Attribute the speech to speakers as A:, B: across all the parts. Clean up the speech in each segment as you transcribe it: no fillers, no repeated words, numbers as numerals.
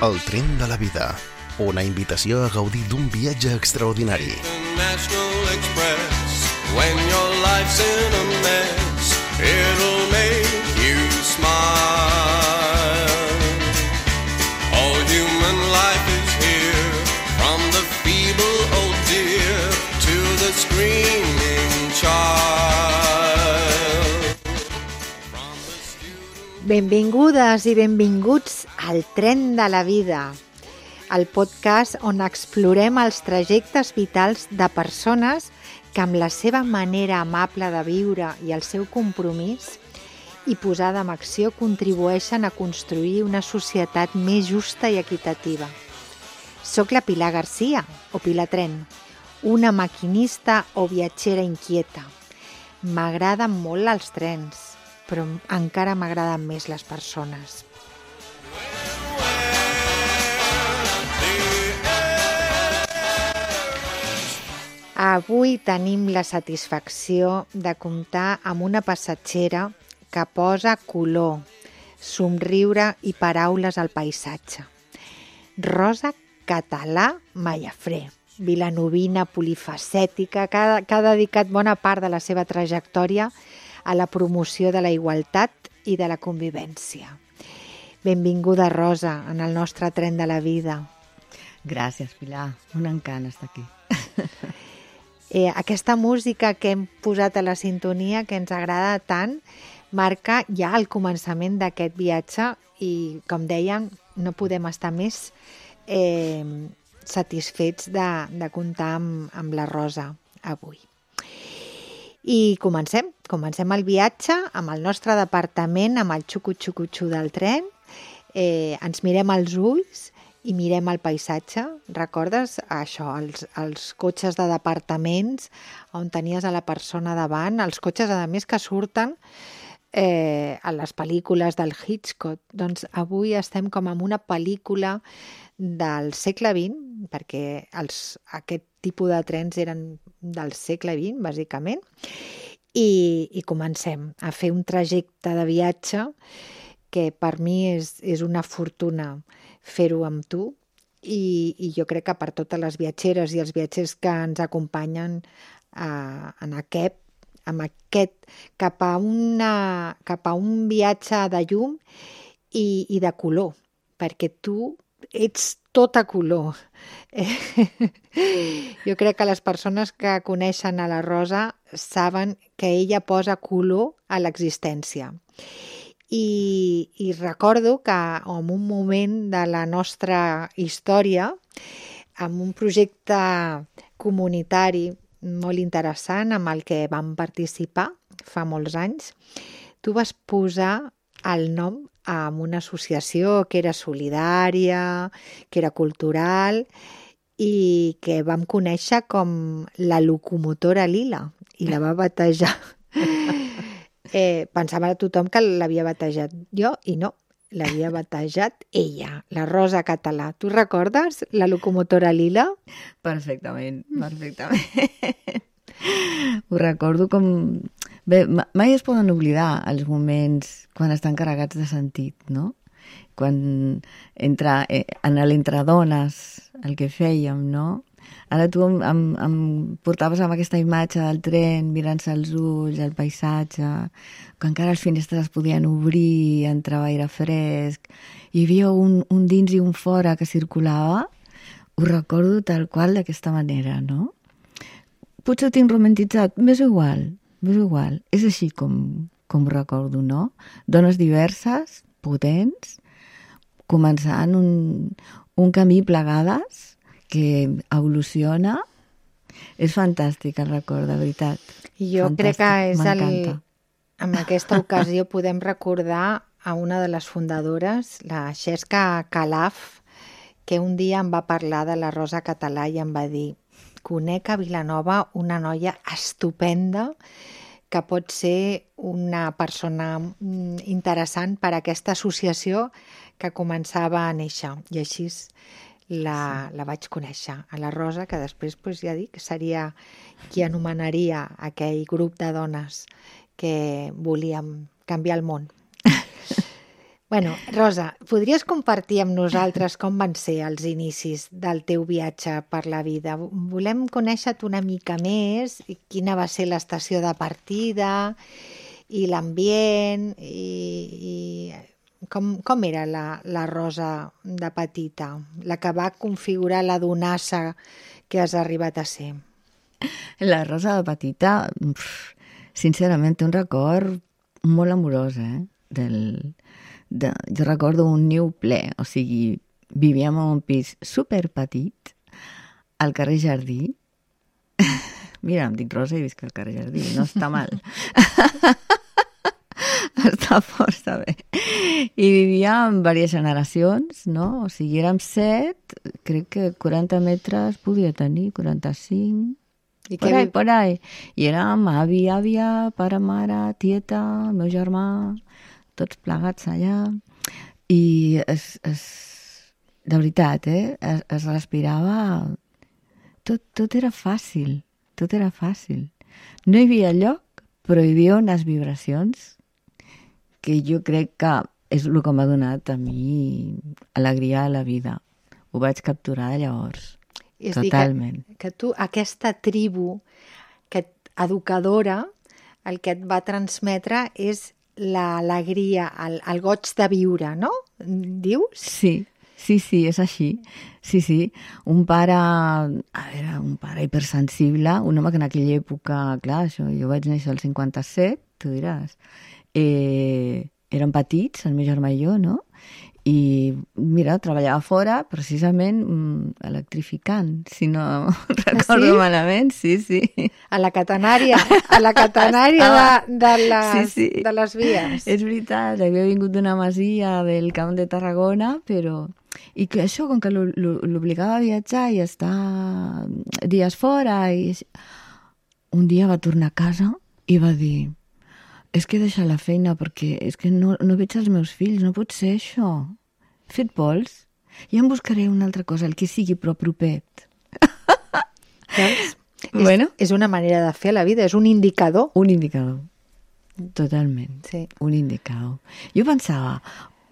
A: El tren de la vida. Una invitació a gaudir d'un viatge extraordinari.
B: National Express. When your life's in a mess, it'll make you smile. All human life is here, from the feeble old dear to the screaming child.
C: Benvingudes i benvinguts al Tren de la Vida, el podcast on explorem els trajectes vitals de persones que amb la seva manera amable de viure i el seu compromís i posada en acció contribueixen a construir una societat més justa i equitativa. Soc la Pilar Garcia, o Pilar Tren, una maquinista o viatgera inquieta. M'agraden molt els trens, però encara m'agraden més les persones. Avui tenim la satisfacció de comptar amb una passatgera que posa color, somriure i paraules al paisatge. Rosa Català Mallafré, vilanovina polifacètica, que ha dedicat bona part de la seva trajectòria a la promoció de la igualtat i de la convivència. Benvinguda, Rosa, en el nostre tren de la vida.
D: Gràcies, Pilar. Un encant estar aquí.
C: Aquesta música que hem posat a la sintonia, que ens agrada tant, marca ja el començament d'aquest viatge i, com dèiem, no podem estar més satisfets de comptar amb la Rosa avui. I comencem el viatge amb el nostre departament, amb el xucu-xucu-xu del tren. Ens mirem als ulls i mirem el paisatge. Recordes això, els cotxes de departaments on tenies a la persona davant, els cotxes, a més, que surten a les pel·lícules del Hitchcock. Doncs avui estem com en una pel·lícula del segle XX, perquè aquest tipus de trens eren del segle XX, bàsicament, i comencem a fer un trajecte de viatge que per mi és una fortuna fer-ho amb tu i jo crec que per totes les viatgeres i els viatgers que ens acompanyen amb aquest cap a un viatge de llum i de color, perquè tu ets tota color. Jo crec que les persones que coneixen a la Rosa saben que ella posa color a l'existència. I recordo que en un moment de la nostra història, amb un projecte comunitari molt interessant amb el que vam participar fa molts anys, tu vas posar el nom a una associació que era solidària, que era cultural i que vam conèixer com la locomotora lila i la va batejar. Pensava a tothom que l'havia batejat jo i no, l'havia batejat ella, la Rosa Català. Tu recordes la locomotora lila?
D: Perfectament. Ho recordo com... Bé, mai es poden oblidar els moments quan estan carregats de sentit, no? Quan en l'entredones, el que fèiem, no? Ara tu em portaves amb aquesta imatge del tren, mirant-se els ulls, el paisatge, que encara les finestres es podien obrir, entrava aire fresc, hi havia un dins i un fora que circulava. Ho recordo tal qual d'aquesta manera, no? Potser ho tinc romantitzat, m'és igual. És així com ho recordo, no? Dones diverses, potents, començant un camí plegades que evoluciona. És fantàstic el record, de veritat.
C: Jo crec que en aquesta ocasió podem recordar a una de les fundadores, la Xesca Calaf, que un dia em va parlar de la Rosa Català i em va dir: conec a Vilanova una noia estupenda que pot ser una persona interessant per a aquesta associació que començava a néixer. I així la vaig conèixer, a la Rosa, que després, ja dic, seria qui anomenaria aquell grup de dones que volíem canviar el món. Bueno, Rosa, podries compartir amb nosaltres com van ser els inicis del teu viatge per la vida? Volem conèixer-te una mica més, i quina va ser l'estació de partida i l'ambient i com era la Rosa de petita, la que va configurar la donassa que has arribat a ser.
D: La Rosa de petita, sincerament, té un record molt amorós, jo recordo un niu ple, o sigui, vivíem en un pis superpetit al carrer Jardí. Mira, em dic Rosa i visc al carrer Jardí, no està mal. Està força bé. I vivíem diverses generacions, no? O sigui, érem 7, crec que 40 metres podia tenir, 45... I por ahí. I érem avi, àvia, pare, mare, tieta, el meu germà, tots plegats allà. I de veritat, es respirava... Tot era fàcil, tot era fàcil. No hi havia lloc, però hi havia unes vibracions que jo crec que és el que m'ha donat a mi alegria a la vida. Ho vaig capturar de llavors. És totalment.
C: Que tu, aquesta tribu educadora, el que et va transmetre és l'alegria, el goig de viure, no? Dius?
D: Sí, és així. Sí. Un pare hipersensible, un home que en aquella època, clar, jo vaig néixer al 57, tu diràs, érem petits, el meu germà i jo, no? I, mira, treballava fora, precisament electrificant, si no recordo malament, sí.
C: A la catenària de les vies.
D: És veritat, havia vingut d'una masia del Camp de Tarragona, però... I que això, com que l'obligava a viatjar i estar dies fora, i... un dia va tornar a casa i va dir... És que he deixat la feina perquè és que no veig els meus fills, no pot ser això. He fet vols? Ja em buscaré una altra cosa, el que sigui, però propet.
C: Bueno. És una manera de fer la vida, és un indicador.
D: Un indicador, totalment. Sí. Un indicador. Jo pensava,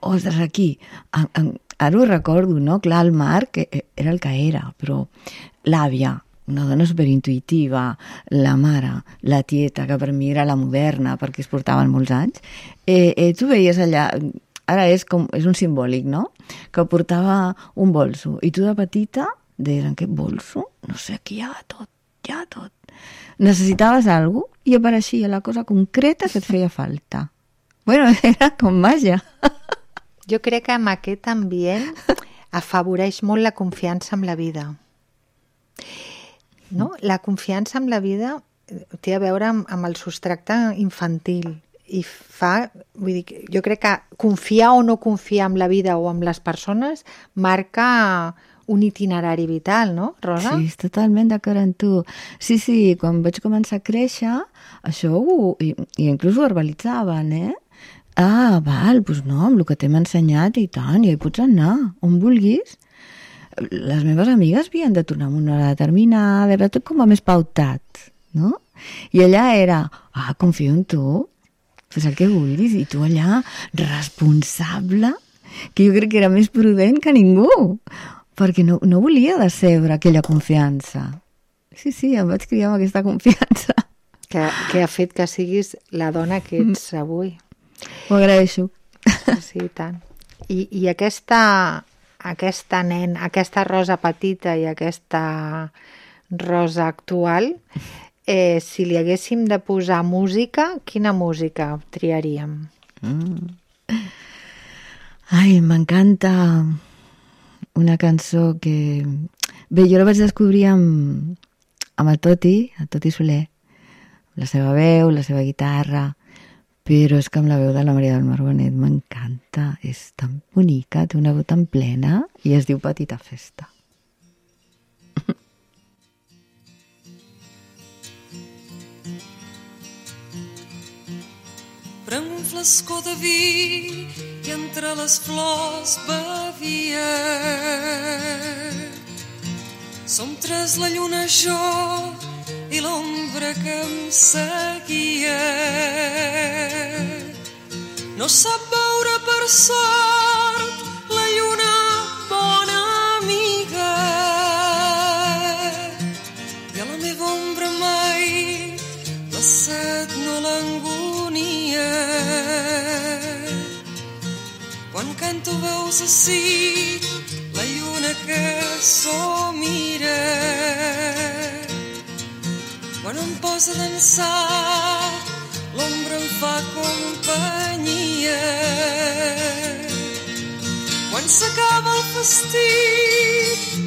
D: ostres, aquí, ara ho recordo, no? Clar, el Marc era el que era, però l'àvia, una dona superintuitiva, la mare, la tieta, que per mi era la moderna, perquè es portaven molts anys, tu veies allà, ara és un simbòlic, no? Que portava un bolso, i tu de petita deies, en què bolso? No sé, aquí hi ha tot. Necessitaves alguna cosa i apareixia la cosa concreta que et feia falta. Bueno, era com màgia.
C: Jo crec que amb aquest ambient afavoreix molt la confiança en la vida. No? La confiança en la vida té a veure amb el substracte infantil i vull dir, jo crec que confiar o no confiar en la vida o en les persones marca un itinerari vital, no, Rosa?
D: Sí, totalment d'acord amb tu. Sí, quan vaig començar a créixer, això i inclús ho verbalitzaven, doncs no, amb el que t'hem ensenyat i tant, ja hi pots anar, on vulguis. Les meves amigues havien de tornar amb una hora determinada, era tot com a més pautat, no? I allà era, confio en tu, fes el que vulguis, i tu allà, responsable, que jo crec que era més prudent que ningú, perquè no volia decebre aquella confiança. Sí, em vaig criar amb aquesta confiança.
C: Que ha fet que siguis la dona que ets avui.
D: Ho agraeixo.
C: Sí, tant. I aquesta Rosa petita i aquesta Rosa actual, si li haguéssim de posar música, quina música triaríem?
D: Ai, m'encanta una cançó que... Bé, jo la vaig descobrir amb el Toti Soler, la seva veu, la seva guitarra, però és que amb la veu de la Maria del Mar Bonet m'encanta, és tan bonica, té una veu tan plena i es diu Petita Festa.
E: Prenc un flascó de vi i entre les flors bevia. Som tres, la lluna, jo i l'ombra que em seguia. no sap veure per sort la lluna bona amiga. I a la meva ombra mai la set no l'angonia. Quan canto veus ací la lluna que somira. Quan em posa a dansar, l'ombra em fa companyia. Quan s'acaba el festí,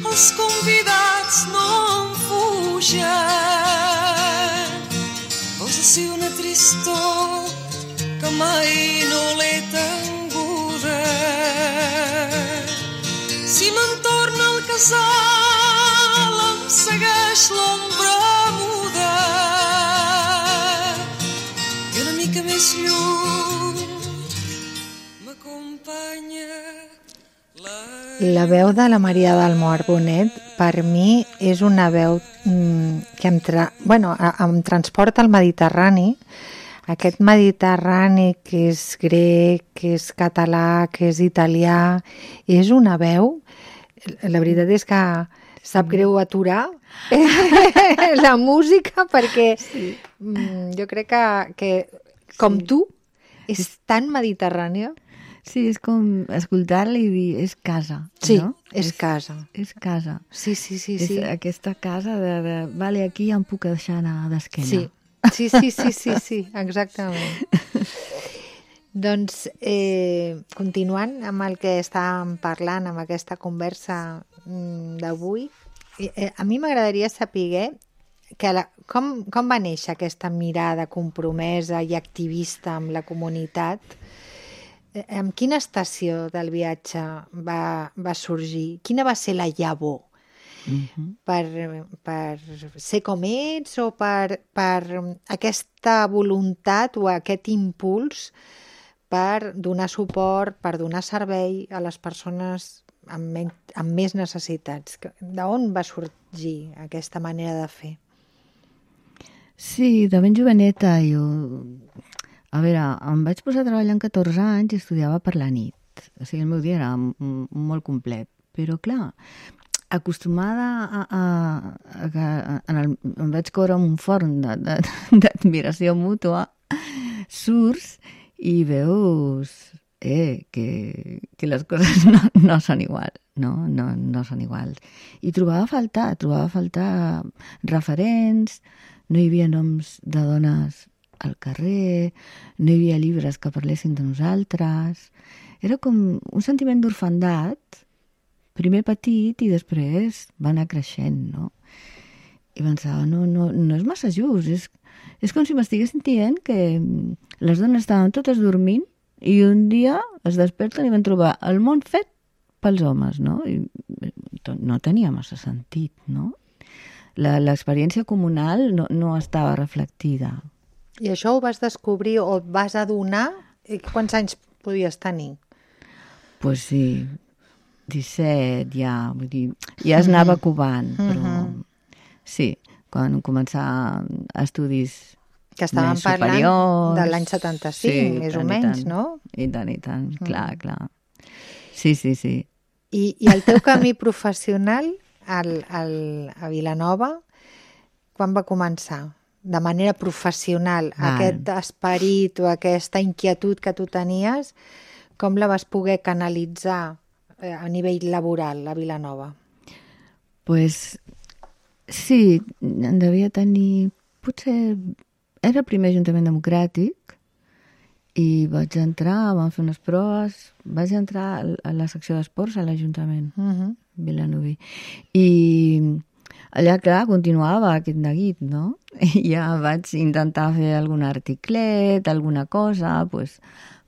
E: els convidats no em fugen. Veus ací una tristor que mai no l'he tenguda. Si me'n torna al casal, em segueix l'ombra muda. I una mica més lluny m'acompanya
C: la veu de la Maria del Mor Bonet per mi és una veu que em transporta al Mediterrani, aquest Mediterrani que és grec, que és català, que és italià. És una veu, la veritat és que sap greu aturar la música perquè jo crec que com tu és tan mediterrània.
D: Sí, és com escoltar-la i dir, és casa,
C: sí,
D: no?
C: És casa.
D: És casa.
C: Sí.
D: És aquesta casa de vale, aquí ja em puc deixar anar d'esquena.
C: Sí, exactament. Doncs, continuant amb el que estàvem parlant, amb aquesta conversa d'avui, a mi m'agradaria saber com va néixer aquesta mirada compromesa i activista amb la comunitat. En quina estació del viatge va sorgir? Quina va ser la llavor? Per ser com ets o per aquesta voluntat o aquest impuls per donar suport, per donar servei a les persones amb més necessitats? D'on va sorgir aquesta manera de fer?
D: Sí, de ben joveneta jo... A veure, em vaig posar a treballar amb 14 anys i estudiava per la nit. O sigui, el meu dia era molt complet. Però, clar, acostumada em vaig córrer amb un forn d'admiració mútua, surts i veus que les coses no són iguals, no són iguals. I trobava a faltar referents, no hi havia noms de dones al carrer, no hi havia llibres que parlessin de nosaltres. Era com un sentiment d'orfandat, primer petit i després va anar creixent, no? I pensava, no és massa just, és com si m'estiguessin dient que les dones estaven totes dormint i un dia es desperten i van trobar el món fet pels homes, no? I no tenia massa sentit, no? L'experiència comunal no estava reflectida.
C: I això ho vas descobrir o et vas adonar? Quants anys podies tenir?
D: Pues sí, 17 ja, vull dir, ja es anava covant, però sí, quan començar estudis
C: que estàvem parlant de l'any 75, sí, més o menys, no?
D: I tant, clar. Sí.
C: I el teu camí professional a Vilanova, quan va començar? De manera professional, aquest esperit o aquesta inquietud que tu tenies, com la vas poder canalitzar a nivell laboral a Vilanova?
D: Pues sí, en devia tenir... Potser era el primer Ajuntament Democràtic i vaig entrar, vam fer unes proves, vaig entrar a la secció d'esports a l'Ajuntament vilanoví. I allà, clar, continuava aquest neguit, no? I ja vaig intentar fer algun articlet, alguna cosa, pues,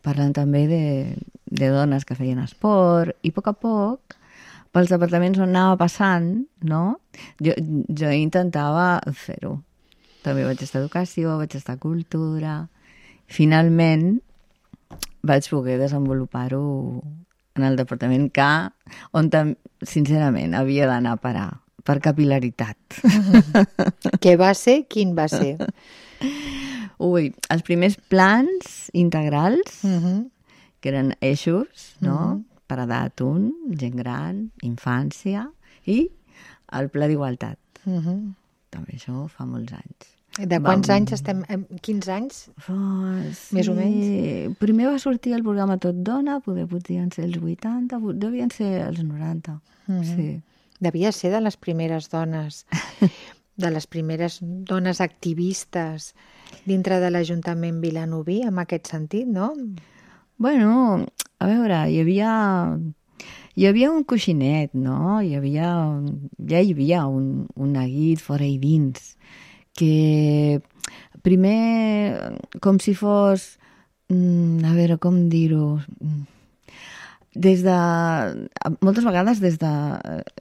D: parlant també de dones que feien esport, i a poc, pels departaments on anava passant, no? Jo intentava fer-ho. També vaig estar a educació, vaig estar a cultura. Finalment vaig poder desenvolupar-ho en el departament K, on, sincerament, havia d'anar a parar per capil·laritat.
C: Què va ser? Quin va ser?
D: Ui, els primers plans integrals que eren eixos, no? Per edat 1, gent gran, infància i el Pla d'Igualtat. També això fa molts anys.
C: De quants anys estem? 15 anys? Més o menys?
D: Primer va sortir el programa Tot Dona, podien ser els 80, devien ser els 90. Sí.
C: Devia ser de les primeres dones, de les primeres dones activistes dintre de l'Ajuntament vilanoví, en aquest sentit, no?
D: Bueno, a veure, hi havia un coixinet, no? Ja hi havia un neguit fora i dins, que primer, com si fos, a veure, com dir-ho, moltes vegades des de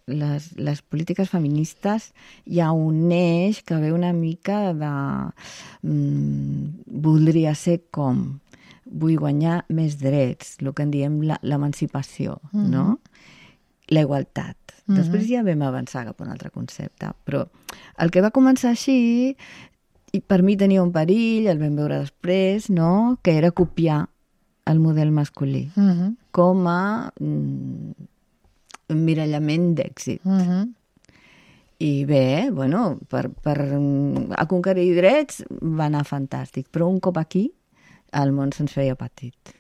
D: les polítiques feministes hi ha un eix que ve una mica de voldria ser com, vull guanyar més drets, el que en diem l'emancipació, no? La igualtat. Després ja vam avançar cap a un altre concepte, però el que va començar així, i per mi tenia un perill, el vam veure després, no? Que era copiar el model masculí com a emmirallament d'èxit. I bé, bueno, per aconquerir drets va anar fantàstic, però un cop aquí el món se'ns feia petit.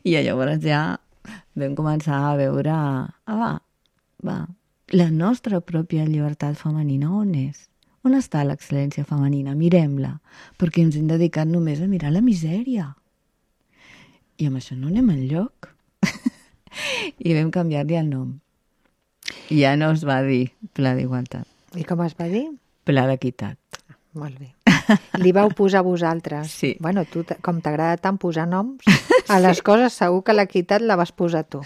D: I llavors ja vam començar a veure, la nostra pròpia llibertat femenina on és? On està l'excel·lència femenina? Mirem-la, perquè ens hem dedicat només a mirar la misèria. I amb això no anem enlloc. I vam canviar-li el nom. I ja no es va dir Pla d'Igualtat.
C: I com es va dir?
D: Pla d'Equitat.
C: Molt bé. Li vau posar vosaltres.
D: Sí.
C: Bueno, tu, com t'agrada tant posar noms, a les coses segur que l'equitat la vas posar tu.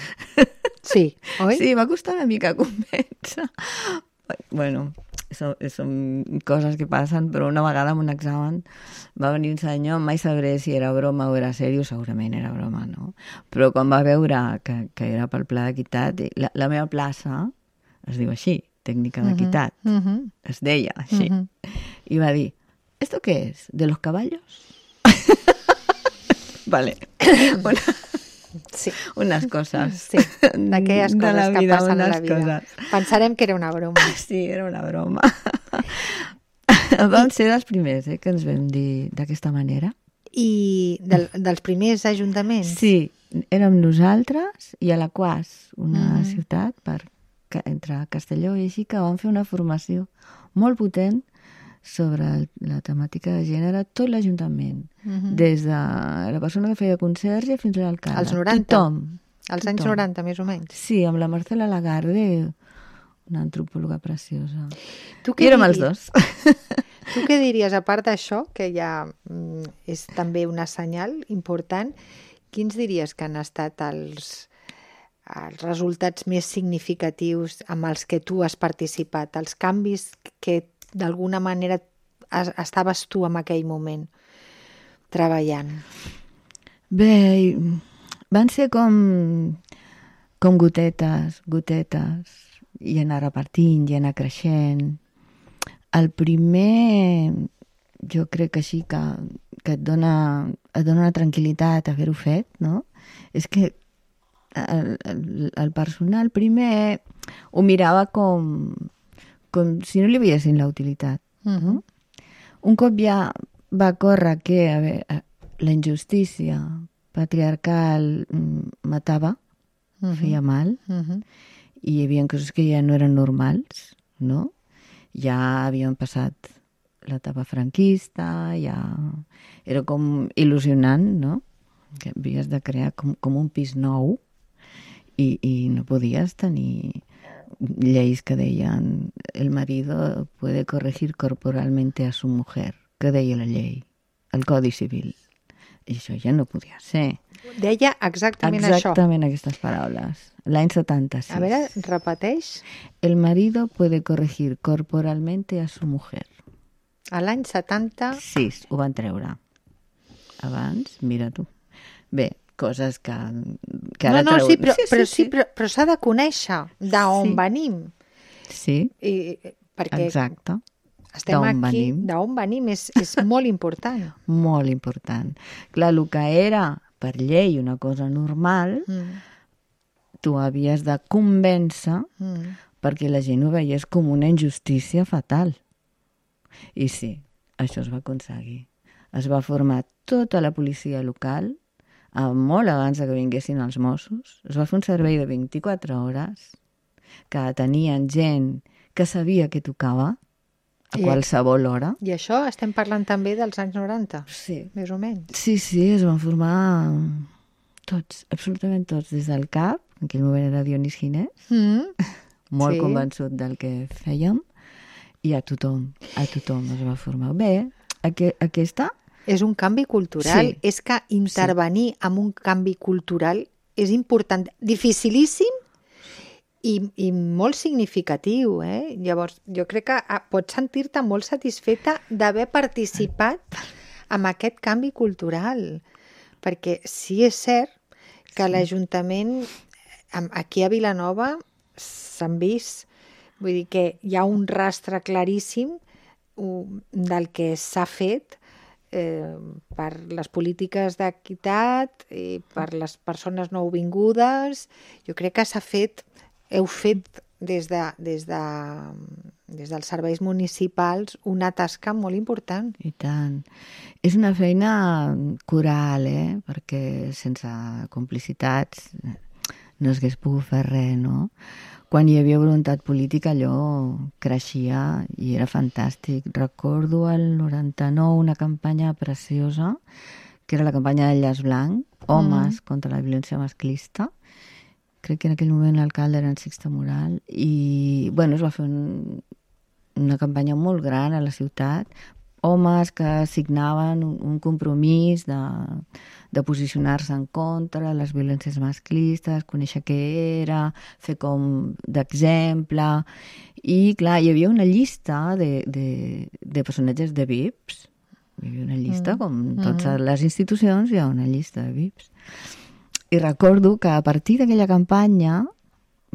C: Sí, oi?
D: Sí, va costar una mica convèncer. Bueno, són coses que passen, però una vegada en un examen va venir un senyor, mai sabré si era broma o era sèrio, segurament era broma, no? Però quan va veure que era pel Pla d'Equitat, la meva plaça es diu així, tècnica d'equitat, es deia així, i va dir, ¿esto qué es? ¿De los caballos? Vale.
C: Sí.
D: Unes coses.
C: Sí, d'aquelles coses que passen a la vida. Pensarem que era una broma.
D: Sí, era una broma. Vam ser dels primers, que ens vam dir d'aquesta manera.
C: I dels primers ajuntaments?
D: Sí, érem nosaltres i Alaquàs, una ciutat entre Castelló i així, que vam fer una formació molt potent sobre la temàtica de gènere, tot l'Ajuntament, des de la persona que feia conserge fins a l'alcalde.
C: Als 90?
D: Tothom.
C: Als anys 90, més o menys?
D: Sí, amb la Marcela Lagarde, una antropòloga preciosa.
C: I
D: érem els dos.
C: Tu què diries, a part d'això, que ja és també una senyal important, quins diries que han estat els resultats més significatius amb els que tu has participat, els canvis que d'alguna manera estaves tu en aquell moment treballant?
D: Bé, van ser com gotetes, i anar repartint, i anar creixent. El primer, jo crec que així, que et dona una tranquil·litat haver-ho fet, no? És que el personal primer ho mirava com si no li veiessin la utilitat. Un cop ja va córrer que la injustícia patriarcal matava, feia mal, i hi havia coses que ja no eren normals, no? Ja havien passat l'etapa franquista, ja era com il·lusionant, no? Que havies de crear com un pis nou i no podies tenir lleis que deien el marido puede corregir corporalmente a su mujer, que deia la llei, el Codi Civil. I això ja no podia ser.
C: Deia exactament això.
D: Exactament aquestes paraules. L'any 76.
C: A veure, repeteix.
D: El marido puede corregir corporalmente a su mujer.
C: A l'any 76
D: ho van treure. Abans, mira tu. Bé, coses que ara
C: no, sí, però s'ha de conèixer d'on venim.
D: Sí,
C: perquè
D: exacte.
C: Estem aquí, d'on venim és molt important.
D: Molt important. Clar, el que era per llei una cosa normal, tu havies de convèncer perquè la gent ho veiés com una injustícia fatal. I sí, això es va aconseguir. Es va formar tota la policia local, molt abans que vinguessin els Mossos. Es va fer un servei de 24 hores, que tenien gent que sabia què tocava a qualsevol hora.
C: I això estem parlant també dels anys 90,
D: Sí.
C: més o menys.
D: Sí, es van formar tots, absolutament tots, des del cap, en aquell moment era Dionís Ginés, molt convençut del que fèiem, i a tothom es va formar. Bé, aquesta...
C: És un canvi cultural.
D: Sí.
C: És que intervenir en un canvi cultural és important, dificilíssim i molt significatiu. Llavors, jo crec que pots sentir-te molt satisfeta d'haver participat en aquest canvi cultural. Perquè sí és cert que l'Ajuntament, aquí a Vilanova, s'han vist, vull dir que hi ha un rastre claríssim del que s'ha fet per les polítiques d'equitat i per les persones nouvingudes. Jo crec que heu fet des dels serveis municipals una tasca molt important.
D: I tant. És una feina coral, perquè sense complicitats no s'hagués pogut fer res, no? Quan hi havia voluntat política allò creixia i era fantàstic. Recordo el 99 una campanya preciosa, que era la campanya del llaç blanc, Homes contra la violència masclista. Crec que en aquell moment l'alcalde era en Sixte Moral. I, bueno, es va fer una campanya molt gran a la ciutat. Homes que signaven un compromís de posicionar-se en contra de les violències masclistes, conèixer què era, fer com d'exemple. I, clar, hi havia una llista de personatges de VIPs. Hi havia una llista, com totes les institucions, hi ha una llista de VIPs. I recordo que a partir d'aquella campanya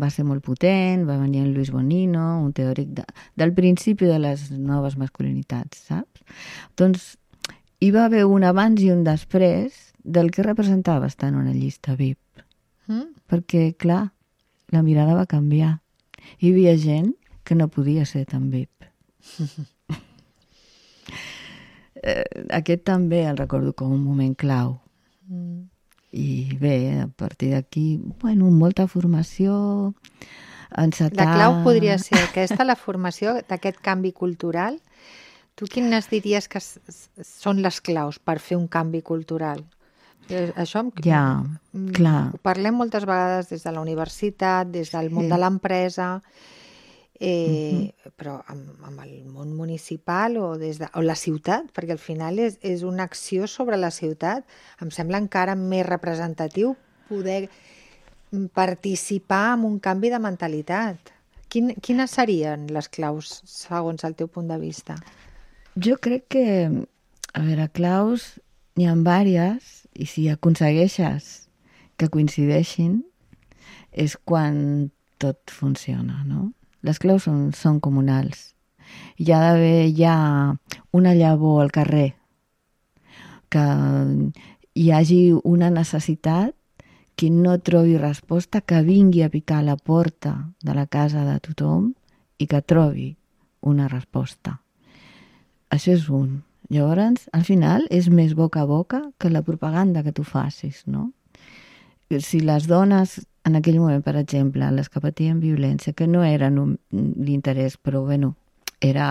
D: va ser molt potent, va venir en Luis Bonino, un teòric del principi de les noves masculinitats, saps? Doncs hi va haver un abans i un després del que representava estar en una llista VIP. Perquè, clar, la mirada va canviar. Hi havia gent que no podia ser tan VIP. Aquest també el recordo com un moment clau. I bé, a partir d'aquí, bueno, molta formació, encetar...
C: La clau podria ser aquesta, la formació d'aquest canvi cultural. Tu quines diries que són les claus per fer un canvi cultural? Això
D: ja, clar.
C: Ho parlem moltes vegades des de la universitat, des del món de l'empresa, però amb el món municipal o la ciutat, perquè al final és una acció sobre la ciutat. Em sembla encara més representatiu poder participar en un canvi de mentalitat. Quines serien les claus segons el teu punt de vista?
D: Jo crec que, a veure, claus n'hi ha diverses, i si aconsegueixes que coincideixin és quan tot funciona, no? Les claus són comunals. Hi ha d'haver una llavor al carrer, que hi hagi una necessitat que no trobi resposta, que vingui a picar a la porta de la casa de tothom i que trobi una resposta. Això és un. Llavors, al final, és més boca a boca que la propaganda que tu facis, no? Si les dones, en aquell moment, per exemple, les que patien violència, que no eren l'interès, però, bueno, era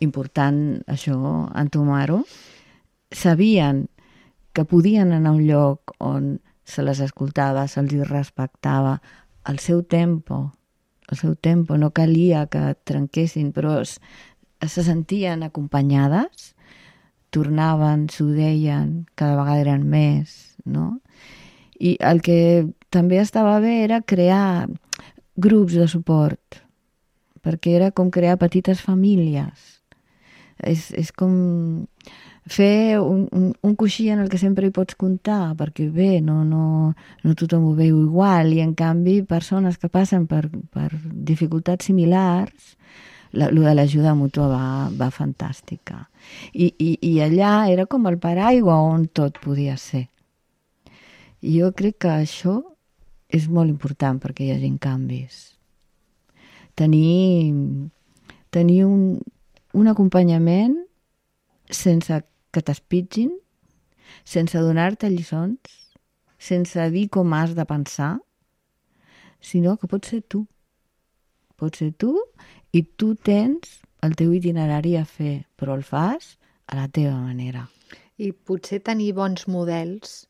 D: important això, entomar-ho, sabien que podien anar a un lloc on se les escoltava, se'ls respectava, el seu tempo, no calia que trenquessin, però se sentien acompanyades, tornaven, s'ho deien, cada vegada eren més, no? I el que també estava bé era crear grups de suport, perquè era com crear petites famílies. És com fer un coixí en el que sempre hi pots comptar, perquè bé, no tothom ho veu igual, i en canvi persones que passen per dificultats similars, lo de l'ajuda mútua va fantàstica. I allà era com el paraigua on tot podia ser. I jo crec que això és molt important perquè hi hagi canvis. Tenir un acompanyament sense que t'espitgin, sense donar-te lliçons, sense dir com has de pensar, sinó que pots ser tu. Pots ser tu i tu tens el teu itinerari a fer, però el fas a la teva manera.
C: I potser tenir bons models,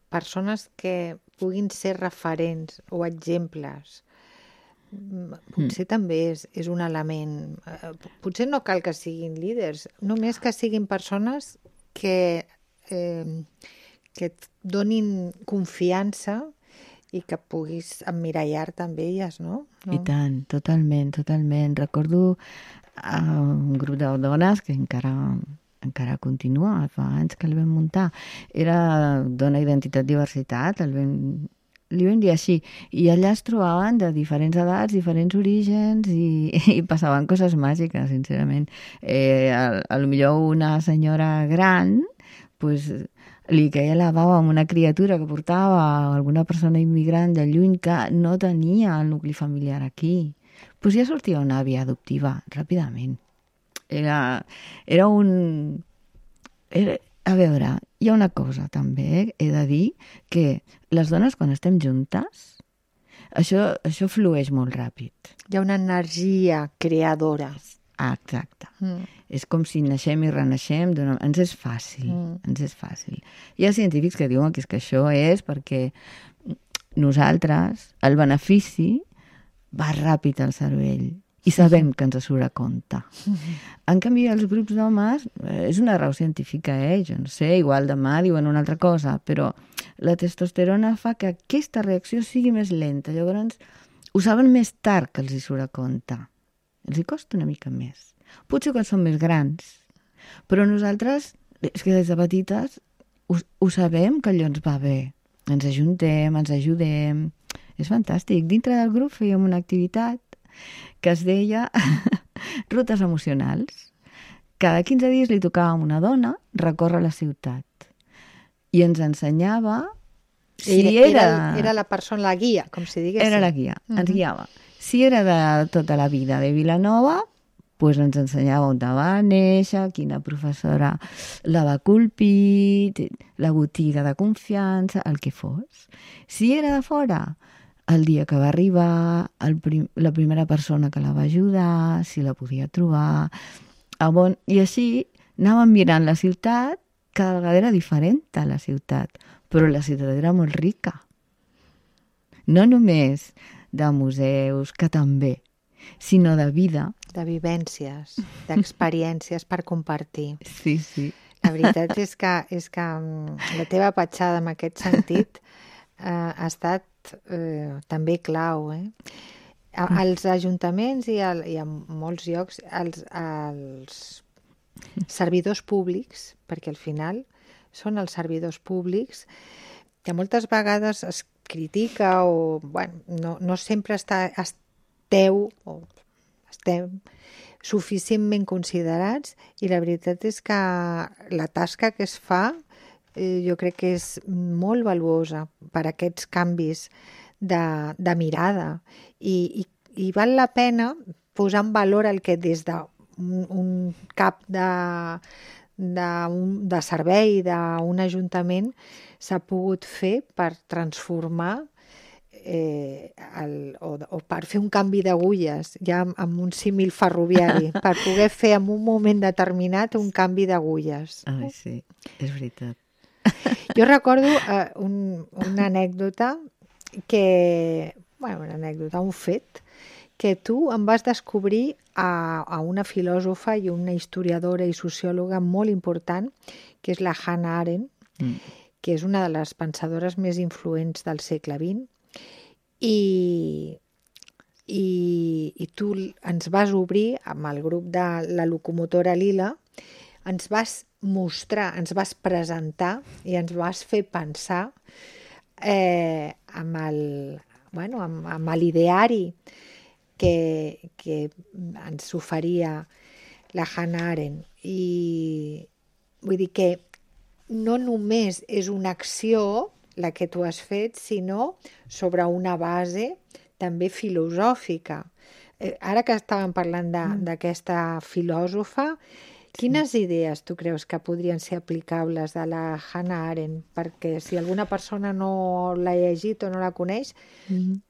C: persones que puguin ser referents o exemples, potser també és un element. Potser no cal que siguin líders, només que siguin persones que et donin confiança i que puguis emmirallar-te amb elles, no?
D: I tant, totalment. Recordo un grup de dones que encara continua, fa anys que el vam muntar. Era Dona Identitat Diversitat, li vam dir així. I allà es trobaven de diferents edats, diferents orígens i passaven coses màgiques, sincerament. A lo millor una senyora gran, pues, li queia la bava amb una criatura que portava alguna persona immigrant de lluny que no tenia el nucli familiar aquí. Pues ja sortia una àvia adoptiva, ràpidament. A veure, hi ha una cosa també, he de dir, que les dones quan estem juntes, això flueix molt ràpid.
C: Hi ha una energia creadora.
D: Ah, exacte. És com si naixem i renaixem, ens és fàcil, ens és fàcil. Hi ha científics que diuen que això és perquè nosaltres, el benefici, va ràpid al cervell i sabem que ens surt a compte. En canvi, els grups d'homes, és una raó científica, jo no sé, igual demà diuen una altra cosa, però la testosterona fa que aquesta reacció sigui més lenta. Llavors, ho saben més tard que els hi surt a compte. Els hi costa una mica més. Potser quan són més grans. Però nosaltres, és que des de petites, ho sabem que allò ens va bé. Ens ajuntem, ens ajudem. És fantàstic. Dintre del grup fèiem una activitat que es deia rutes emocionals. Cada 15 dies li tocava a una dona recórrer la ciutat. I ens ensenyava si
C: Era la persona, la guia, com si diguéssim.
D: Era la guia, ens guiava. Si era de tota la vida de Vilanova, pues ens ensenyava on va néixer, quina professora la va colpir, la botiga de confiança, el que fos. Si era de fora, el dia que va arribar, la primera persona que la va ajudar, si la podia trobar. I així anàvem mirant la ciutat, cada vegada era diferent a la ciutat, però la ciutat era molt rica. No només de museus, que també, sinó de vida.
C: De vivències, d'experiències per compartir.
D: Sí, sí.
C: La veritat és que la teva petjada en aquest sentit ha estat també clau. Als ajuntaments i a molts llocs, els servidors públics, perquè al final són els servidors públics, que moltes vegades es critica o no sempre estem suficientment considerats, i la veritat és que la tasca que es fa jo crec que és molt valuosa per aquests canvis de mirada i val la pena posar en valor el que des d'un cap de servei d'un ajuntament s'ha pogut fer per transformar o per fer un canvi d'agulles, ja amb un símil ferroviari, per poder fer en un moment determinat un canvi d'agulles.
D: Ai, sí, és veritat.
C: Jo recordo una anècdota un fet, que tu em vas descobrir a una filòsofa i una historiadora i sociòloga molt important, que és la Hannah Arendt, que és una de les pensadores més influents del segle XX, i tu ens vas obrir amb el grup de la locomotora Lila, ens vas mostrar, ens vas presentar i ens vas fer pensar amb l'ideari que ens oferia la Hannah Arendt. I vull dir que no només és una acció la que tu has fet, sinó sobre una base també filosòfica. Ara que estàvem parlant d'aquesta filòsofa, quines idees tu creus que podrien ser aplicables de la Hannah Arendt? Perquè si alguna persona no l'ha llegit o no la coneix,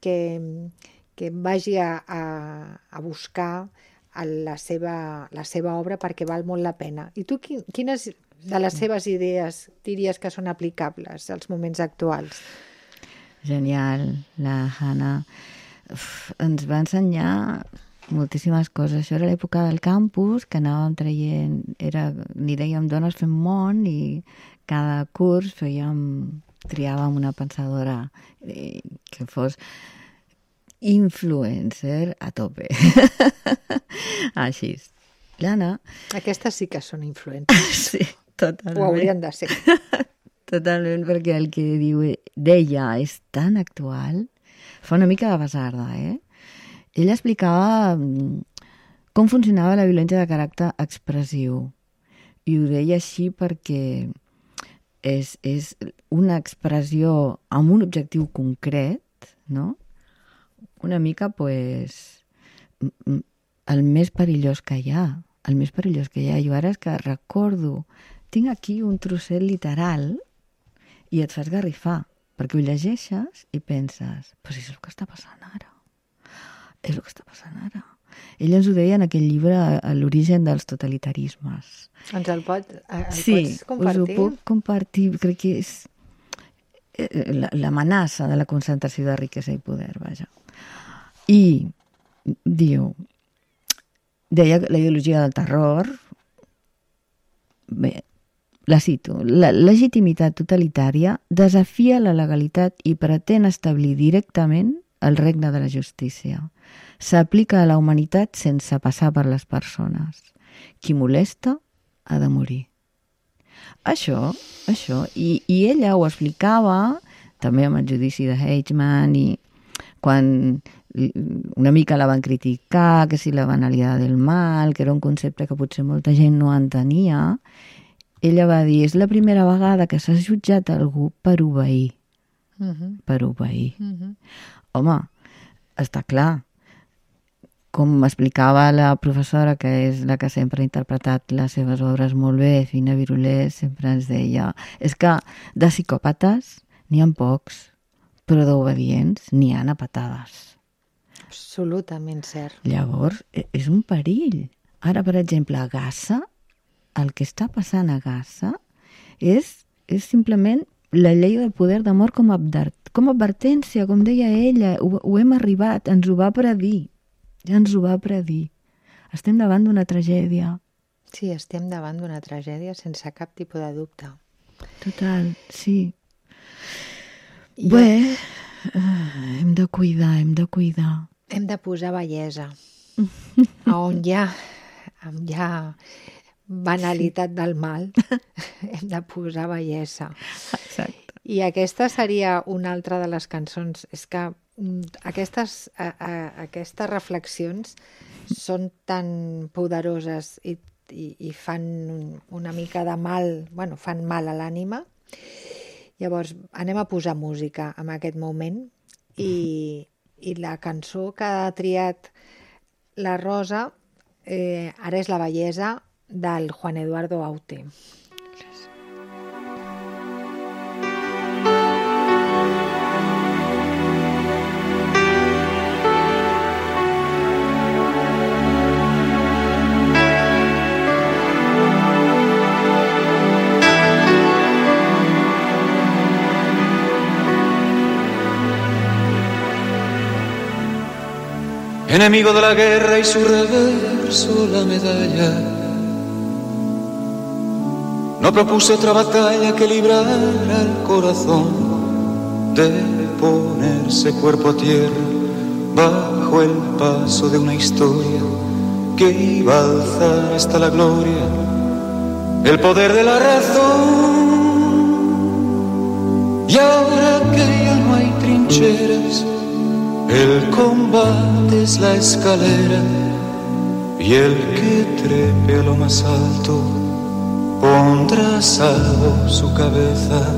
C: que vagi a buscar la seva obra perquè val molt la pena. I tu quines de les seves idees diries que són aplicables als moments actuals?
D: Genial, la Hannah ens va ensenyar moltíssimes coses. Això era l'època del campus, que anàvem traient, n'hi dèiem dones fent món, i cada curs triàvem una pensadora que fos influencer a tope. Així. L'Anna...
C: Aquestes sí que són influencers.
D: Sí, totalment.
C: Ho haurien de ser.
D: Totalment, perquè el que deia és tan actual. Fa una mica de basarda, Ella explicava com funcionava la violència de caràcter expressiu. I ho deia així perquè és una expressió amb un objectiu concret, no? Una mica, pues, el més perillós que hi ha. El més perillós que hi ha. Jo ara és que recordo, tinc aquí un trosset literal i et fas garrifar, perquè ho llegeixes i penses, però si és el que està passant ara. És el que està passant ara. Ella ens ho deia en aquell llibre, L'origen dels totalitarismes.
C: Ens el pots compartir?
D: Sí, us ho puc compartir. Crec que és l'amenaça de la concentració de riquesa i poder, vaja. I deia la ideologia del terror, bé, la cito, la legitimitat totalitària desafia la legalitat i pretén establir directament el regne de la justícia. S'aplica a la humanitat sense passar per les persones. Qui molesta ha de morir. Això, i ella ho explicava també amb el judici de Eichmann, i quan una mica la van criticar, que si la banalitat del mal, que era un concepte que potser molta gent no entenia, ella va dir, és la primera vegada que s'ha jutjat algú per obeir. Per obeir. Home, està clar. Com explicava la professora, que és la que sempre ha interpretat les seves obres molt bé, Fina Virulés, sempre ens deia, és que de psicòpates n'hi ha pocs, però d'obedients n'hi ha a patades.
C: Absolutament cert.
D: Llavors, és un perill. Ara, per exemple, a Gaza, el que està passant a Gaza és simplement la llei del poder de mort com a advertència, com deia ella, ho hem arribat, ens ho va predir, ja ens ho va predir. Estem davant d'una tragèdia.
C: Sí, estem davant d'una tragèdia sense cap tipus de dubte.
D: Total, sí. Bé, hem de cuidar.
C: Hem de posar bellesa. On hi ha banalitat del mal, hem de posar bellesa.
D: Exacte.
C: I aquesta seria una altra de les cançons. És que aquestes reflexions són tan poderoses i fan una mica de mal, fan mal a l'ànima. Llavors, anem a posar música en aquest moment i la cançó que ha triat la Rosa ara és La bellesa, del Juan Eduardo Aute.
F: Enemigo de la guerra y su reverso la medalla. No propuse otra batalla que librar al corazón de ponerse cuerpo a tierra bajo el paso de una historia que iba a alzar hasta la gloria el poder de la razón. Y ahora que ya no hay trincheras, el combate es la escalera y el que trepe a lo más alto pondrá a salvo su cabeza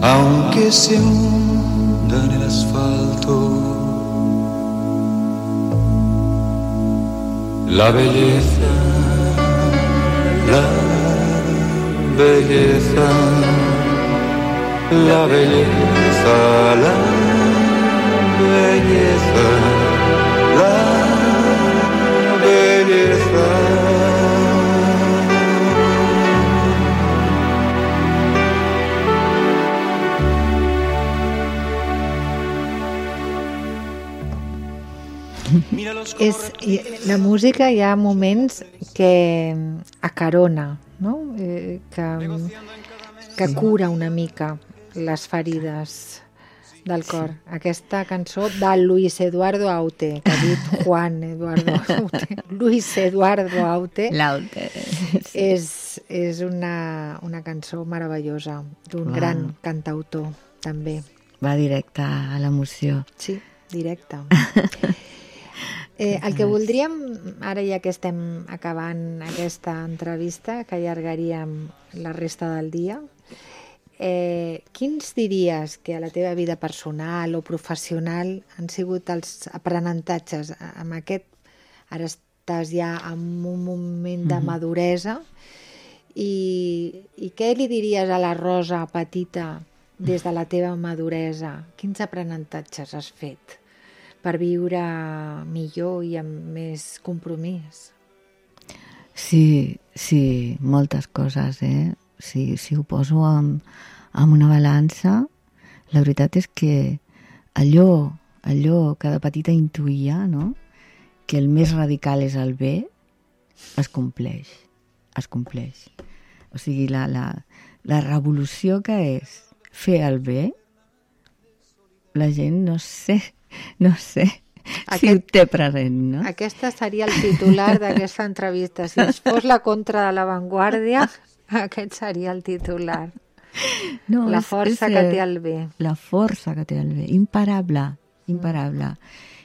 F: aunque se hunda en el asfalto. La belleza, la belleza, la belleza, la belleza, la belleza.
C: La música hi ha moments que acarona, no? Que cura una mica les ferides del cor. Aquesta cançó de Luis Eduardo Aute, que ha dit Juan Eduardo Aute. Luis Eduardo Aute.
D: L'Aute.
C: És una cançó meravellosa d'un gran cantautor, també.
D: Va directe a l'emoció.
C: Sí, directe. El que voldríem, ara ja que estem acabant aquesta entrevista, que allargaríem la resta del dia, quins diries que a la teva vida personal o professional han sigut els aprenentatges amb aquest, ara estàs ja en un moment de maduresa, i què li diries a la Rosa petita des de la teva maduresa? Quins aprenentatges has fet per viure millor i amb més compromís?
D: Sí, moltes coses, Si ho poso amb una balança, la veritat és que allò que de petita intuïa, no? Que el més radical és el bé, es compleix. O sigui, la revolució que és fer el bé, la gent no sé si ho té present, no?
C: Aquesta seria el titular d'aquesta entrevista. Si es fos la contra de l'avantguàrdia, aquest seria el titular.
D: No,
C: la força que té el bé.
D: La força que té el bé. Imparable.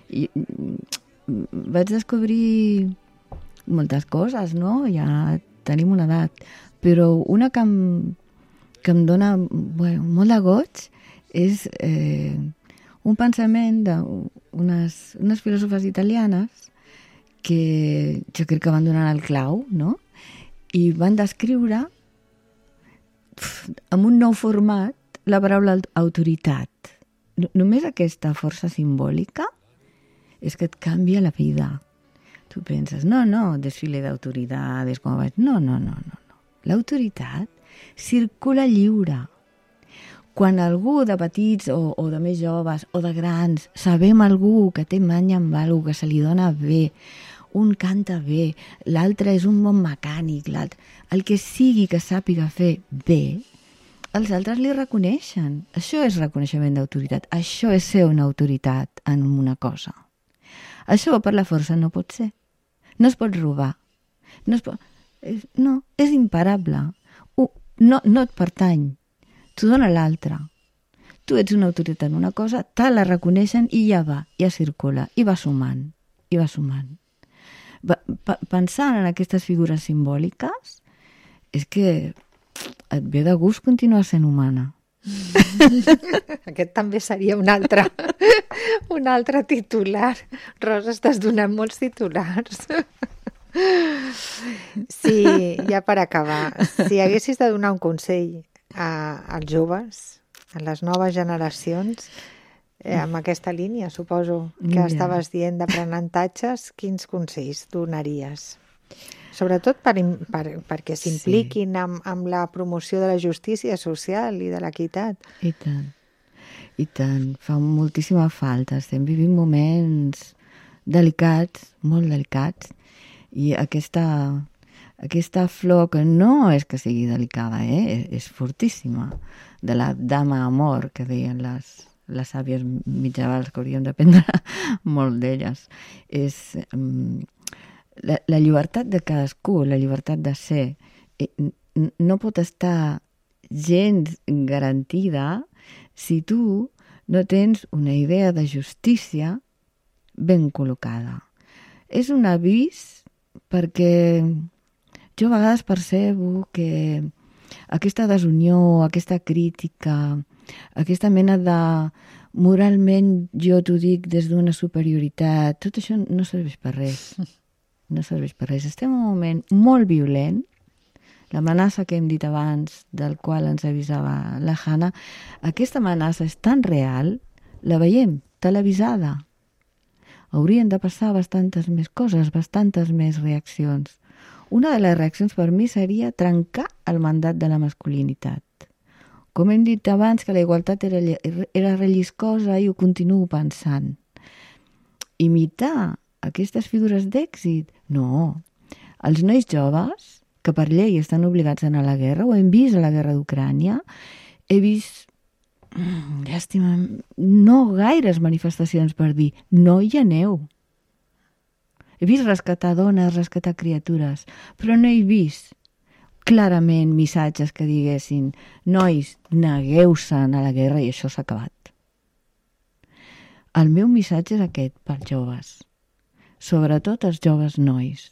D: I vaig descobrir moltes coses, no? Ja tenim una edat. Però una que em dona molt de goig és un pensament d'unes filòsofes italianes que jo crec que van donar el clau, no? I van descriure amb un nou format la paraula autoritat. Només aquesta força simbòlica és que et canvia la vida. Tu penses, no, desfile d'autoritats, com vaig... No. L'autoritat circula lliure. Quan algú de petits o de més joves o de grans sabem algú que té manya amb algú, que se li dona bé, un canta bé, l'altre és un bon mecànic, l'altre... El que sigui que sàpiga fer bé, els altres li reconeixen. Això és reconeixement d'autoritat. Això és ser una autoritat en una cosa. Això per la força no pot ser. No es pot robar. No, és imparable. No et pertany. T'ho dona l'altre. Tu ets una autoritat en una cosa, te la reconeixen i ja va, ja circula, i va sumant. Pensant en aquestes figures simbòliques, és que et ve de gust continuar sent humana.
C: Aquest també seria un altre titular. Rosa, estàs donant molts titulars. Sí, ja per acabar, si haguessis de donar un consell als joves, a les noves generacions, amb aquesta línia, suposo que estaves dient d'aprenentatges, quins consells donaries? Sobretot perquè s'impliquin amb la promoció de la justícia social i de l'equitat.
D: I tant. Fa moltíssima falta. Estem vivint moments delicats, molt delicats, i aquesta flor, que no és que sigui delicada, és fortíssima, de la dama amor, que deien les sàvies mitjavals, que hauríem d'aprendre molt d'elles. És la llibertat de cadascú, la llibertat de ser, no pot estar gens garantida si tu no tens una idea de justícia ben col·locada. És un avís perquè jo a vegades percebo que aquesta desunió, aquesta crítica, aquesta mena de moralment jo t'ho dic des d'una superioritat, tot això no serveix per res. No serveix per res. Estem en un moment molt violent. L'amenaça que hem dit abans, del qual ens avisava la Hanna, aquesta amenaça és tan real, la veiem televisada. Haurien de passar bastantes més coses, bastantes més reaccions. Una de les reaccions per mi seria trencar el mandat de la masculinitat. Com hem dit abans que la igualtat era relliscosa i ho continuo pensant. Imitar aquestes figures d'èxit? No. Els nois joves, que per llei estan obligats a anar a la guerra, ho hem vist a la guerra d'Ucrània, he vist, llàstima, no gaires manifestacions per dir no hi aneu. He vist rescatar dones, rescatar criatures, però no he vist clarament missatges que diguessin nois, negueu-se'n a la guerra i això s'ha acabat. El meu missatge és aquest pels joves, sobretot els joves nois.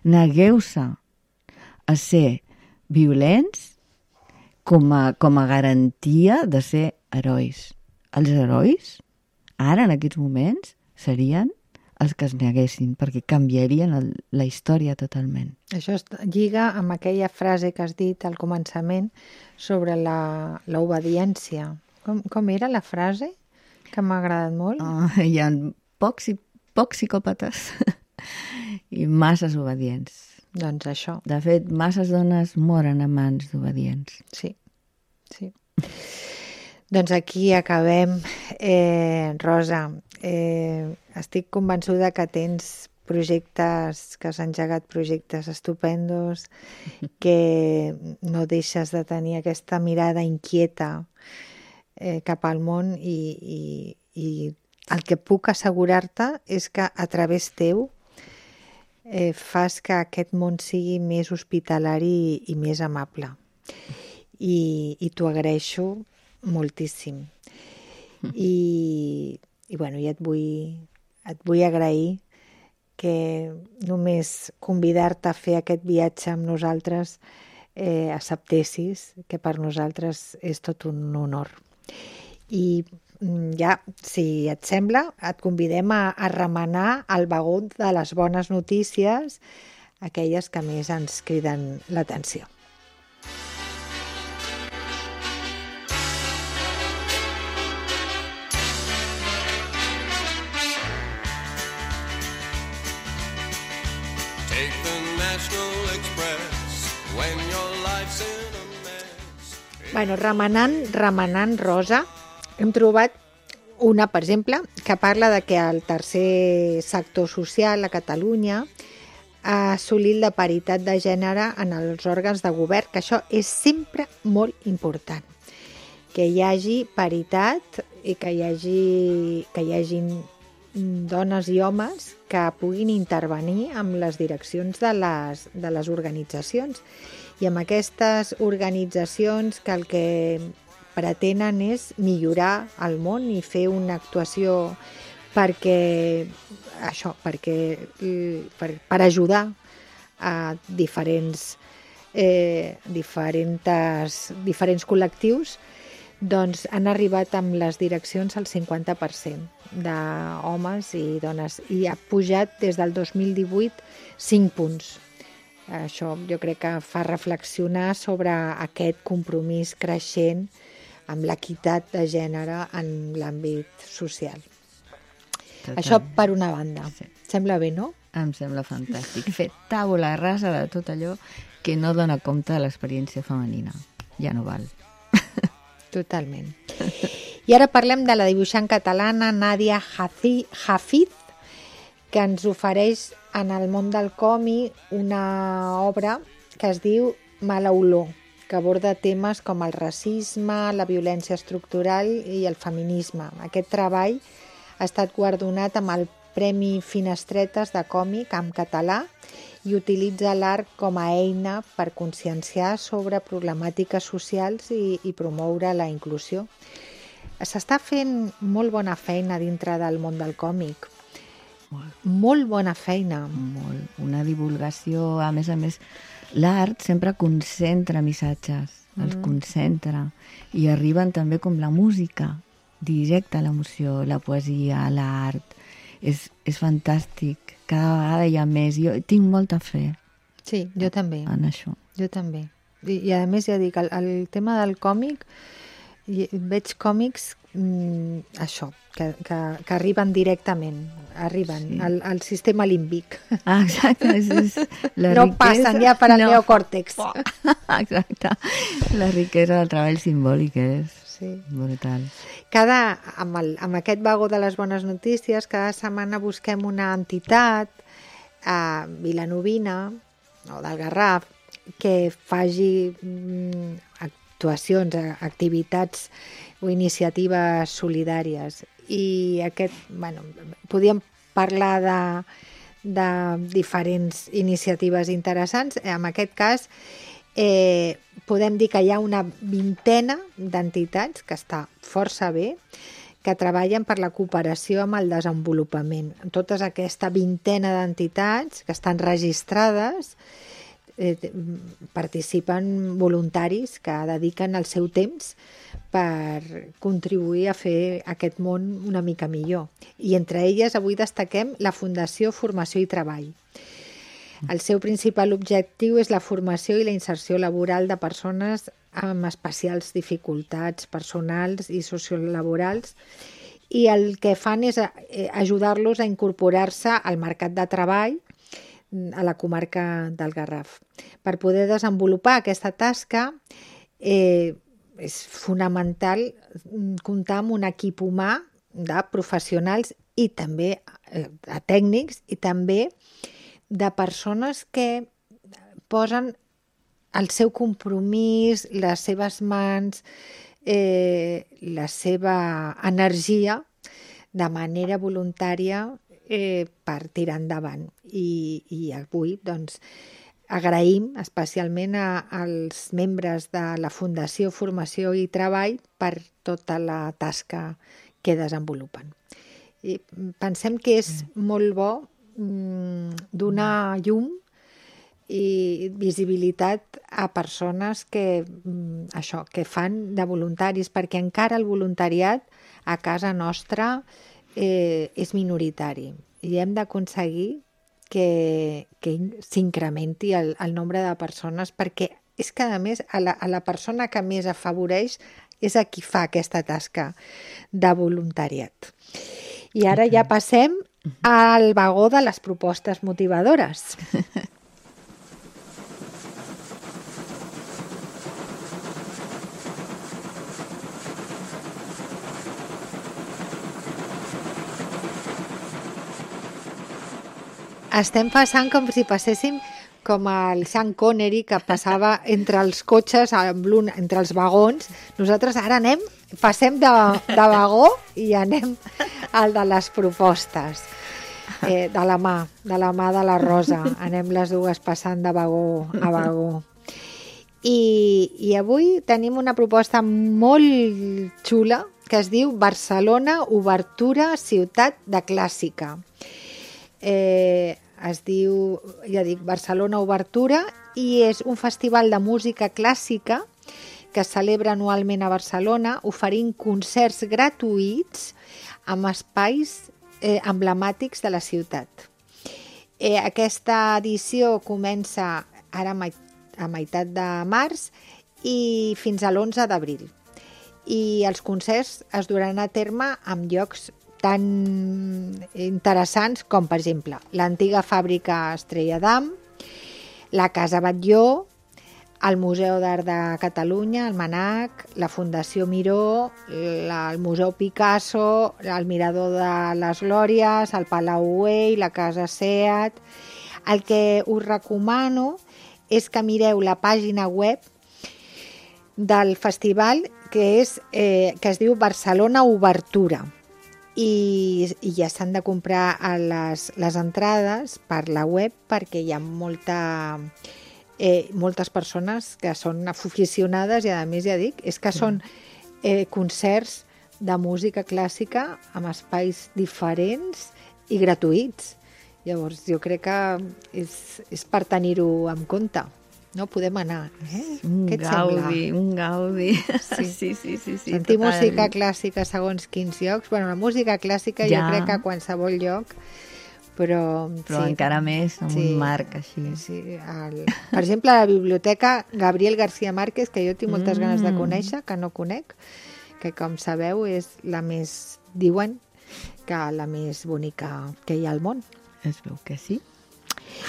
D: Negueu-se a ser violents com a garantia de ser herois. Els herois, ara en aquests moments, serien els que es neguessin, perquè canviarien la història totalment.
C: Això lliga amb aquella frase que has dit al començament sobre l'obediència. Com era la frase? Que m'ha agradat molt.
D: Hi ha pocs psicòpates i masses obedients.
C: Doncs això.
D: De fet, masses dones moren a mans d'obedients.
C: Sí. Doncs aquí acabem. Rosa, estic convençuda que tens projectes, que has engegat projectes estupendos, que no deixes de tenir aquesta mirada inquieta cap al món i el que puc assegurar-te és que a través teu fas que aquest món sigui més hospitalari i més amable. I t'ho agraeixo moltíssim. I et vull agrair que només convidar-te a fer aquest viatge amb nosaltres acceptessis, que per nosaltres és tot un honor. I ja, si et sembla, et convidem a remenar el vagó de les bones notícies, aquelles que més ens criden l'atenció.
B: Take the National Express when your life's in a mess.
C: Bueno, remenant, Rosa, hem trobat una, per exemple, que parla de que el tercer sector social a Catalunya ha assolit la paritat de gènere en els òrgans de govern, que això és sempre molt important. Que hi hagi paritat i que hi hagin dones i homes que puguin intervenir amb les direccions de les organitzacions. I amb aquestes organitzacions que el que pretenen és millorar el món i fer una actuació per ajudar a diferents col·lectius, doncs han arribat amb les direccions al 50% d'homes i dones i ha pujat des del 2018 5 punts. Això jo crec que fa reflexionar sobre aquest compromís creixent amb l'equitat de gènere en l'àmbit social. Total. Això per una banda. Sí. Sembla bé, no?
D: Em sembla fantàstic. Fer tàbula rasa de tot allò que no dona compte de l'experiència femenina. Ja no val.
C: Totalment. I ara parlem de la dibuixant catalana Nadia Hafid, que ens ofereix en el món del còmic una obra que es diu Mala olor, que aborda temes com el racisme, la violència estructural i el feminisme. Aquest treball ha estat guardonat amb el Premi Finestretes de còmic en català i utilitza l'art com a eina per conscienciar sobre problemàtiques socials i promoure la inclusió. S'està fent molt bona feina dintre del món del còmic. Molt bona feina.
D: Molt. Una divulgació, a més, l'art sempre concentra missatges. els concentra i arriben també com la música directa a l'emoció, la poesia, l'art. És fantàstic, cada vegada hi ha més. Jo tinc molta fe
C: Sí, jo també.
D: en això.
C: Jo també. I a més, ja dic, el tema del còmic, veig còmics, això, que arriben directament, arriben al sistema límbic.
D: Exacte. La
C: No
D: riquesa,
C: passen ja per al neocòrtex.
D: Exacte. La riquesa del treball simbòlic és
C: Sí.
D: brutal.
C: Amb aquest vagó de les bones notícies, cada setmana busquem una entitat vilanovina o del Garraf que faci actuacions, activitats o iniciatives solidàries. I podíem parlar de diferents iniciatives interessants. En aquest cas, podem dir que hi ha una vintena d'entitats, que està força bé, que treballen per la cooperació amb el desenvolupament. Tota aquesta vintena d'entitats que estan registrades, participen voluntaris que dediquen el seu temps per contribuir a fer aquest món una mica millor. I entre elles avui destaquem la Fundació Formació i Treball. El seu principal objectiu és la formació i la inserció laboral de persones amb especials dificultats personals i sociolaborals, i el que fan és ajudar-los a incorporar-se al mercat de treball a la comarca del Garraf. Per poder desenvolupar aquesta tasca és fonamental comptar amb un equip humà de professionals i també de tècnics i també de persones que posen el seu compromís, les seves mans, la seva energia de manera voluntària per tirar endavant. I avui doncs, agraïm especialment als membres de la Fundació Formació i Treball per tota la tasca que desenvolupen. I pensem que és molt bo donar llum i visibilitat a persones que fan de voluntaris, perquè encara el voluntariat a casa nostra és minoritari i hem d'aconseguir que s'incrementi el nombre de persones, perquè és que a més a la persona que més afavoreix és a qui fa aquesta tasca de voluntariat. I ara ja passem al vagó de les propostes motivadores. Estem passant com si passéssim com el Sean Connery, que passava entre els cotxes, entre els vagons. Nosaltres ara passem de vagó i anem al de les propostes. De la mà de la Rosa. Anem les dues passant de vagó a vagó. I avui tenim una proposta molt xula que es diu Barcelona, Obertura, Ciutat de Clàssica. Es diu, ja dic, Barcelona Obertura, i és un festival de música clàssica que es celebra anualment a Barcelona, oferint concerts gratuïts amb espais emblemàtics de la ciutat. Aquesta edició comença ara a meitat de març i fins a l'11 d'abril. I els concerts es duran a terme en llocs tan interessants com, per exemple, l'antiga fàbrica Estrella d'Am, la Casa Batlló, el Museu d'Art de Catalunya, el MANAC, la Fundació Miró, el Museu Picasso, el Mirador de les Glòries, el Palau Güell, la Casa Seat. El que us recomano és que mireu la pàgina web del festival que es diu Barcelona Obertura. I ja s'han de comprar les entrades per la web, perquè hi ha moltes persones que són aficionades i, a més, ja dic, és que són concerts de música clàssica amb espais diferents i gratuïts. Llavors, jo crec que és per tenir-ho en compte. no? Podem anar.
D: Un
C: Què et
D: gaudi,
C: sembla?
D: un gaudi.
C: Sí.
D: Sí.
C: Sentir
D: total.
C: música clàssica segons quins llocs. Bueno, la música clàssica jo
D: Ja.
C: crec que a qualsevol lloc, però sí.
D: encara més, amb un marc així.
C: Sí, per exemple, a la biblioteca Gabriel García Márquez, que jo tinc moltes ganes de conèixer, que no conec, que com sabeu és la més, diuen, que la més bonica que hi ha al món.
D: Es veu que sí.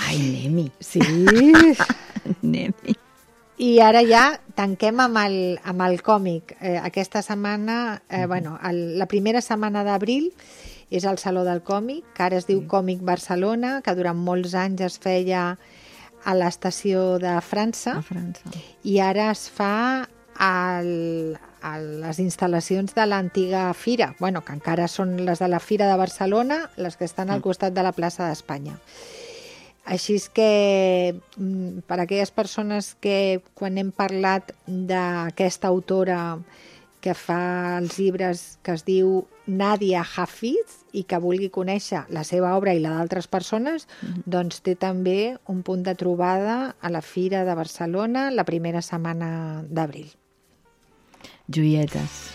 D: Ai, anem-hi.
C: Sí.
D: Anem-hi.
C: I ara ja tanquem amb el còmic. Aquesta setmana, la primera setmana d'abril és el Saló del Còmic, que ara es diu Còmic Barcelona, que durant molts anys es feia a l'estació de França,
D: A França.
C: i ara es fa a les instal·lacions de l'antiga fira, que encara són les de la Fira de Barcelona, les que estan al costat de la plaça d'Espanya. Així és que, per a aquelles persones que, quan hem parlat d'aquesta autora que fa els llibres que es diu Nadia Hafiz i que vulgui conèixer la seva obra i la d'altres persones, doncs té també un punt de trobada a la Fira de Barcelona la primera setmana d'abril.
D: Joietes.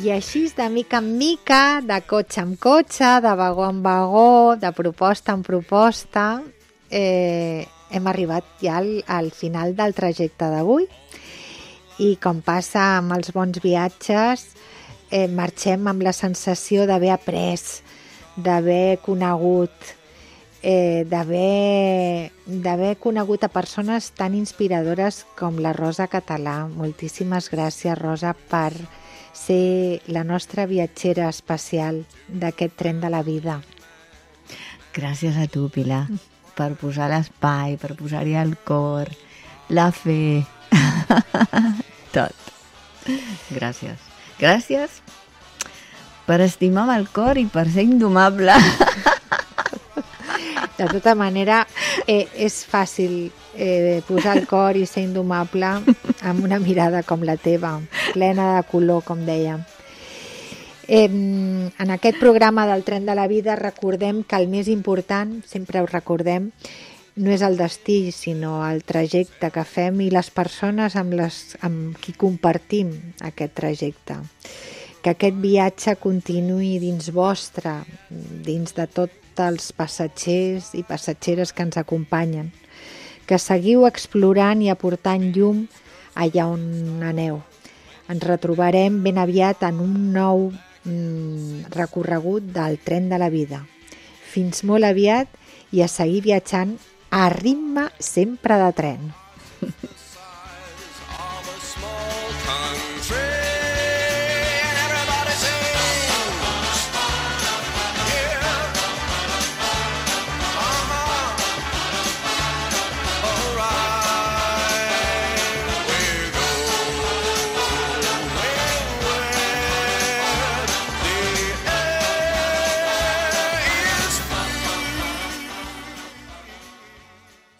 C: I així, de mica en mica, de cotxe en cotxe, de vagó en vagó, de proposta en proposta, hem arribat ja al final del trajecte d'avui. I com passa amb els bons viatges, marxem amb la sensació d'haver après, d'haver conegut, d'haver conegut a persones tan inspiradores com la Rosa Català. Moltíssimes gràcies, Rosa, per ser la nostra viatgera especial d'aquest tren de la vida.
D: Gràcies a tu, Pilar, per posar l'espai, per posar-hi el cor, la fe, tot. Gràcies. Gràcies per estimar amb el cor i per ser indomable.
C: De tota manera, és fàcil posar el cor i ser indomable amb una mirada com la teva, plena de color, com dèiem. En aquest programa del Tren de la Vida recordem que el més important, sempre ho recordem, no és el destí, sinó el trajecte que fem i les persones amb qui compartim aquest trajecte. Que aquest viatge continuï dins vostre, dins de tots els passatgers i passatgeres que ens acompanyen. Que seguiu explorant i aportant llum allà on aneu. Ens retrobarem ben aviat en un nou recorregut del Tren de la Vida. Fins molt aviat i a seguir viatjant a ritme sempre de tren.